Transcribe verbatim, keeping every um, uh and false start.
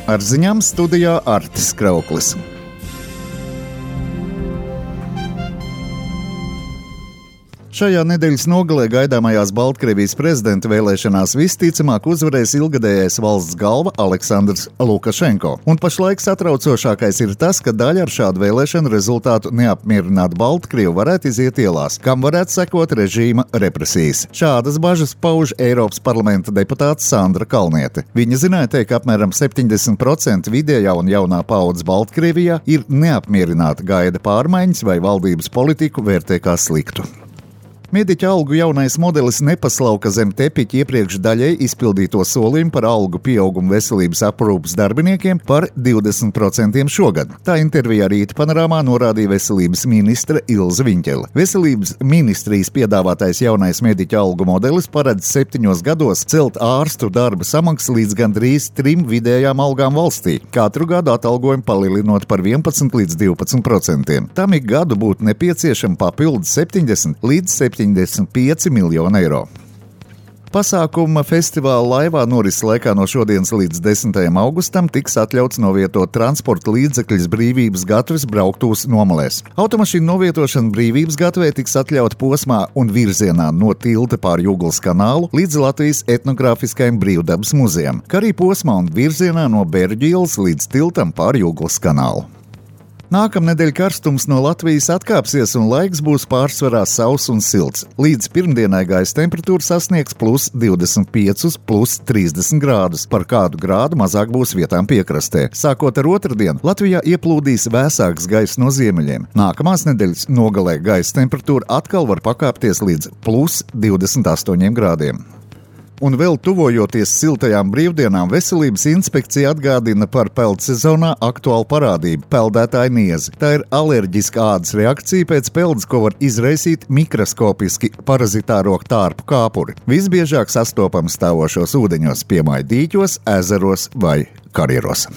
Ar ziņām studijā Artis Krauklis. Šajā nedēļas nogalē gaidāmajās Baltkrievijas prezidenta vēlēšanās visticamāk uzvarēs ilgadējais valsts galva Aleksandrs Lukašenko. Un pašlaik satraucošākais ir tas, ka daļa ar šādu vēlēšanu rezultātu neapmierinātu Baltkrievu varētu iziet ielās, kam varētu sekot režīma represijas. Šādas bažas pauž Eiropas parlamenta deputāte Sandra Kalniete. Viņa zināja teikt, ka apmēram septiņdesmit procenti vidējā un jaunā paudze Baltkrievijā ir neapmierināta, gaida pārmaiņas vai valdības politiku vērtē kā sliktu. Mediķa algu jaunais modelis nepaslauka zem tepiķa iepriekš daļai izpildīto solījumu par algu pieaugumu veselības aprūpes darbiniekiem par divdesmit procentiem šogad. Tā intervijā Rīta panorāmā norādīja veselības ministre Ilze Viņķele. Veselības ministrijas piedāvātais jaunais mediķa algu modelis paredz septiņos gados celt ārstu darba samaksu līdz gandrīz trim vidējām algām valstī, katru gadu atalgojumu palielinot par vienpadsmit līdz divpadsmit procentiem. Tam ik gadu būtu nepieciešama papildus septiņdesmit līdz septiņdesmit pieci miljoni eiro. Pasākuma festivāla laivā norises laikā no šodienas līdz desmitajam augustam tiks atļauts novietot transporta līdzekļus Brīvības gatves brauktuvas nomalēs. Automašīnu novietošana Brīvības gatvē tiks atļauta posmā un virzienā no tilta pār Juglas kanālu līdz Latvijas etnogrāfiskajam brīvdabas muzejam, kā arī posmā un virzienā no Berģu ielas līdz tiltam pār Juglas kanālu. Nākamnedēļ karstums no Latvijas atkāpsies un laiks būs pārsvarā sauss un silts. Līdz pirmdienai gaisa temperatūra sasniegs plus divdesmit pieci, plus trīsdesmit grādus. Par kādu grādu mazāk būs vietām piekrastē. Sākot ar otrdienu, Latvijā ieplūdīs vēsāks gaiss no ziemeļiem. Nākamās nedēļas nogalē gaisa temperatūra atkal var pakāpties līdz plus divdesmit astoņiem grādiem. Un vēl tuvojoties siltajām brīvdienām, veselības inspekcija atgādina par peldsezonā aktuālu parādību – peldētāju niezi. Tā ir alerģiska ādas reakcija pēc peldes, ko var izraisīt mikroskopiski parazitāro tārpu kāpuri. Visbiežāk sastopams stāvošos ūdeņos, piemēram, dīķos, ezeros vai karjeros.